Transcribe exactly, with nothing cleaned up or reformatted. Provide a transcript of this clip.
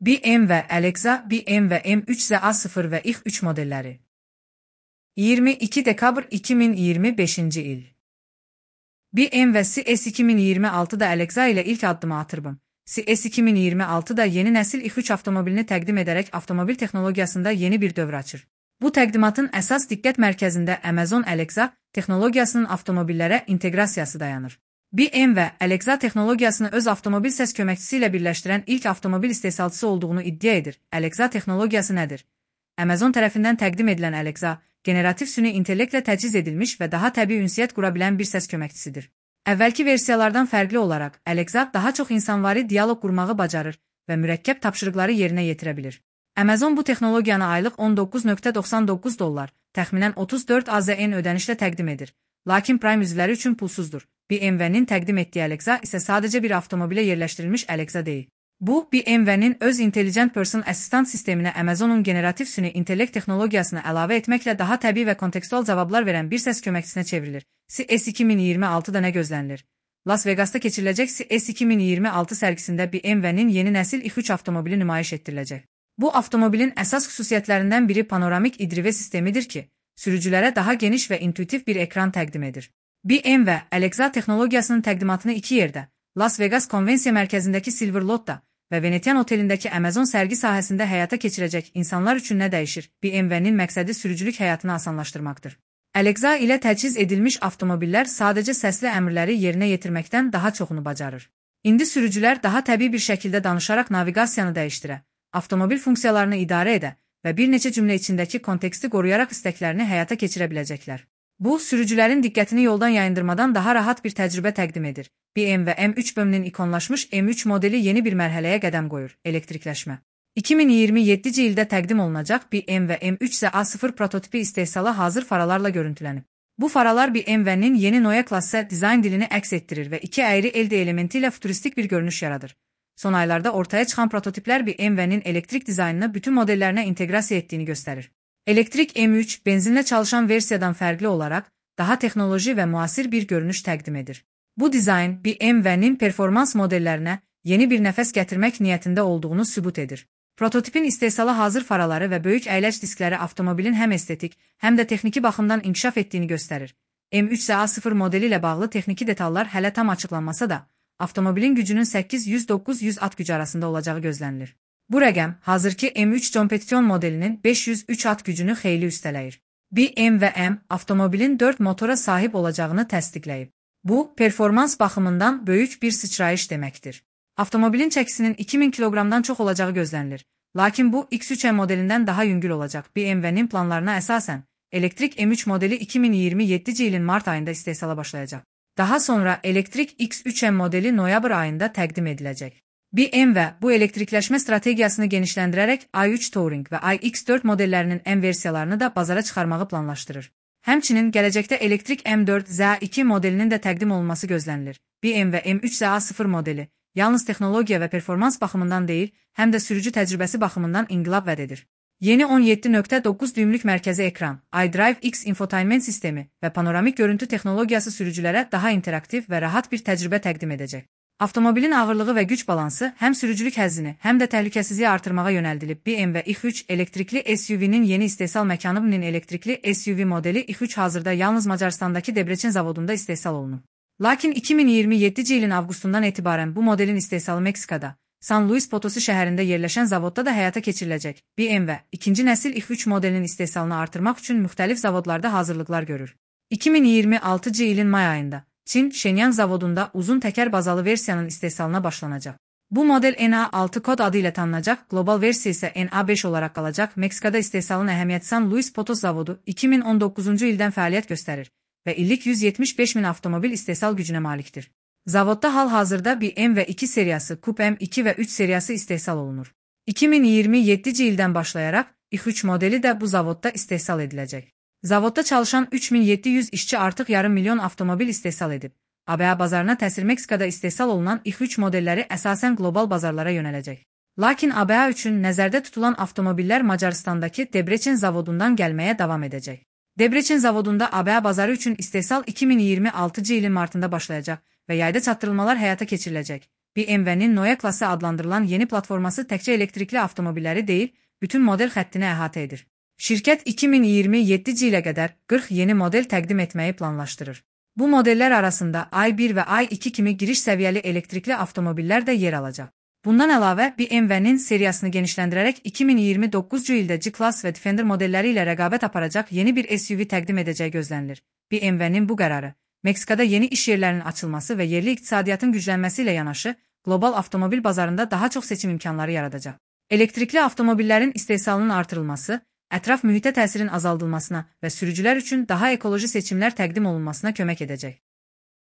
B M ve Alexa, B M ve M üç Z A sıfır ve İX üç modelleri. yirmi iki Dekabr iki bin yirmi beşinci il. B M ve C S iki bin yirmi altıda Alexa ile ilk adımı atırdım. C S iki bin yirmi altıda yeni nesil İX üç avtomobilini təqdim edərək avtomobil texnologiyasında yeni bir dövr açır. Bu təqdimatın əsas diqqət mərkəzində Amazon Alexa texnologiyasının avtomobillərə inteqrasiyası dayanır. B M və Alexa texnologiyasını öz avtomobil səs köməkçisi ilə birləşdirən ilk avtomobil istehsalçısı olduğunu iddia edir. Alexa texnologiyası nədir? Amazon tərəfindən təqdim edilən Alexa, generativ süni intellektlə təchiz edilmiş və daha təbii ünsiyyət qura bilən bir səs köməkçisidir. Əvvəlki versiyalardan fərqli olaraq, Alexa daha çox insanvari dialoq qurmağı bacarır və mürəkkəb tapşırıqları yerinə yetirə bilir. Amazon bu texnologiyanı aylıq on doqquz min doxsan doqquz dollar, təxminən otuz dörd A Z N ödənişlə təqdim edir. Lakin Prime üzvləri üçün pulsuzdur. B M W'nin təqdim etdiyi Alexa isə sadəcə bir avtomobilə yerləşdirilmiş Alexa deyil. Bu, B M W'nin öz Intelligent Person Assistant sisteminə Amazonun generativ süni intellekt texnologiyasını əlavə etməklə daha təbii və kontekstual cavablar verən bir səs köməkçisinə çevrilir. C S iki bin iyirmi altıda nə gözlənilir? Las Vegas'ta keçiriləcək C S iki bin iyirmi altı sərgisində B M W'nin yeni nəsil İX üç avtomobili nümayiş etdiriləcək. Bu avtomobilin əsas xüsusiyyətlərindən biri panoramik idrive sistemidir ki, sürücülərə daha geniş və intuitiv bir ekran təqdim edir. B M və Alexa texnologiyasının təqdimatını iki yerdə, Las Vegas Konvensiya Mərkəzindəki Silver Lot'da və Venetian Otelindəki Amazon sərgi sahəsində həyata keçirəcək insanlar üçün nə dəyişir? B M W'nin məqsədi sürücülük həyatını asanlaşdırmaqdır. Alexa ilə təchiz edilmiş avtomobillər sadəcə səsli əmrləri yerinə yetirməkdən daha çoxunu bacarır. İndi sürücülər daha təbii bir şəkildə danışaraq naviqasiyanı dəyişdirə, avtomobil funksiyalarını idarə edə və bir neçə cümlə içindəki konteksti qoruyaraq istəklərini həyata keçirə biləcəklər. Bu, sürücülərin diqqətini yoldan yayındırmadan daha rahat bir təcrübə təqdim edir. B M və M üç B M-nin ikonlaşmış M üç modeli yeni bir mərhələyə qədəm qoyur, elektrikləşmə. iki min iyirmi yeddinci ildə təqdim olunacaq B M və M üç Z A sıfır prototipi istehsala hazır faralarla görüntülənib. Bu faralar B M W'nin yeni Neue Klasse dizayn dilini əks etdirir və iki əyri elde elementi ilə futuristik bir görünüş yaradır. Son aylarda ortaya çıxan prototiplər B M W'nin elektrik dizaynını bütün modellərinə inteqrasiya etdiyini göstərir. Elektrik M üç benzinlə çalışan versiyadan fərqli olaraq daha texnoloji və müasir bir görünüş təqdim edir. Bu dizayn B M W'nin performans modellərinə yeni bir nəfəs gətirmək niyyətində olduğunu sübut edir. Prototipin istehsala hazır faraları və böyük əyləc diskləri avtomobilin həm estetik, həm də texniki baxımdan inkişaf etdiyini göstərir. M üç Z A sıfır modeli ilə bağlı texniki detallar hələ tam açıqlanmasa da, avtomobilin gücünün səkkiz yüz doqquz yüz at gücü arasında olacağı gözlənilir. Bu rəqəm, hazırki M üç Competition modelinin beş yüz üç at gücünü xeyli üstələyir. B M və M avtomobilin dörd motora sahib olacağını təsdiqləyib. Bu, performans baxımından böyük bir sıçrayış deməkdir. Avtomobilin çəkisinin iki min kiloqramdan çox olacağı gözlənilir. Lakin bu, X üç M modelindən daha yüngül olacaq. B M W'nin planlarına əsasən, elektrik M üç modeli iki min iyirmi yeddinci ilin mart ayında istehsala başlayacaq. Daha sonra elektrik X üç M modeli noyabr ayında təqdim ediləcək. B M və bu elektrikləşmə strategiyasını genişləndirərək i üç Touring və i X dörd modellərinin M versiyalarını da bazara çıxarmağı planlaşdırır. Həmçinin gələcəkdə elektrik M dörd Z iki modelinin də təqdim olunması gözlənilir. B M və M üç Z A sıfır modeli yalnız texnologiya və performans baxımından deyil, həm də sürücü təcrübəsi baxımından inqilab vəd edir. Yeni on yeddi nöqtə doqquz düymlük mərkəzi ekran, iDrive X infotainment sistemi və panoramik görüntü texnologiyası sürücülərə daha interaktiv və rahat bir təcrübə təqdim edəcək. Avtomobilin ağırlığı və güc balansı həm sürücülük həzzini, həm də təhlükəsizliyi artırmağa yönəldilib. B M və İX üç elektrikli S U V'nin yeni istehsal məkanı B M'nin elektrikli S U V modeli İX üç hazırda yalnız Macaristandakı Debrecen zavodunda istehsal olunub. Lakin iki min iyirmi yeddinci ilin avqustundan etibarən bu modelin istehsalı Meksikada, San Luis Potosi şəhərində yerləşən zavodda da həyata keçiriləcək. B M və ikinci nəsil İX üç modelinin istehsalını artırmaq üçün müxtəlif zavodlarda hazırlıqlar görür. iki min iyirmi altıncı ilin may ayında Çin, Shenyang zavodunda uzun təkər bazalı versiyanın istehsalına başlanacaq. Bu model N A altı kod adı ilə tanınacaq, qlobal versiya isə N A beş olaraq qalacaq. Meksikada istehsalın əhəmiyyəti San Luis Potosi zavodu iki min on doqquzuncu ildən fəaliyyət göstərir və illik yüz yetmiş beş min avtomobil istehsal gücünə malikdir. Zavodda hal-hazırda B M və iki seriyası, Coupe M iki və üç seriyası istehsal olunur. iki min iyirmi yeddinci ildən başlayaraq İX üç modeli də bu zavodda istehsal ediləcək. Zavodda çalışan üç min yeddi yüz işçi artıq yarım milyon avtomobil istehsal edib. A B A bazarına təsir Meksikada istehsal olunan İX üç modelləri əsasən qlobal bazarlara yönələcək. Lakin A B A üçün nəzərdə tutulan avtomobillər Macaristandakı Debrecen zavodundan gəlməyə davam edəcək. Debrecen zavodunda A B A bazarı üçün istehsal iki min iyirmi altıncı ilin martında başlayacaq və yayda çatdırılmalar həyata keçiriləcək. B M W'nin Neue Klasse adlandırılan yeni platforması təkcə elektrikli avtomobilləri deyil, bütün model xəttini əhatə edir. Şirkət iki min iyirmi yeddinci ilə qədər qırx yeni model təqdim etməyi planlaşdırır. Bu modellər arasında i bir və i iki kimi giriş səviyyəli elektrikli avtomobillər də yer alacaq. Bundan əlavə, B M W'nin seriyasını genişləndirərək iki min iyirmi doqquzuncu ildə G-Class və Defender modelləri ilə rəqabət aparacaq yeni bir S U V təqdim edəcəyi gözlənilir. B M W'nin bu qərarı, Meksikada yeni iş yerlərinin açılması və yerli iqtisadiyyatın güclənməsi ilə yanaşı, qlobal avtomobil bazarında daha çox seçim imkanları yaradacaq. Elektrikli avtomobillərin istehsalının artırılması, ətraf mühitə təsirin azaldılmasına və sürücülər üçün daha ekoloji seçimlər təqdim olunmasına kömək edəcək.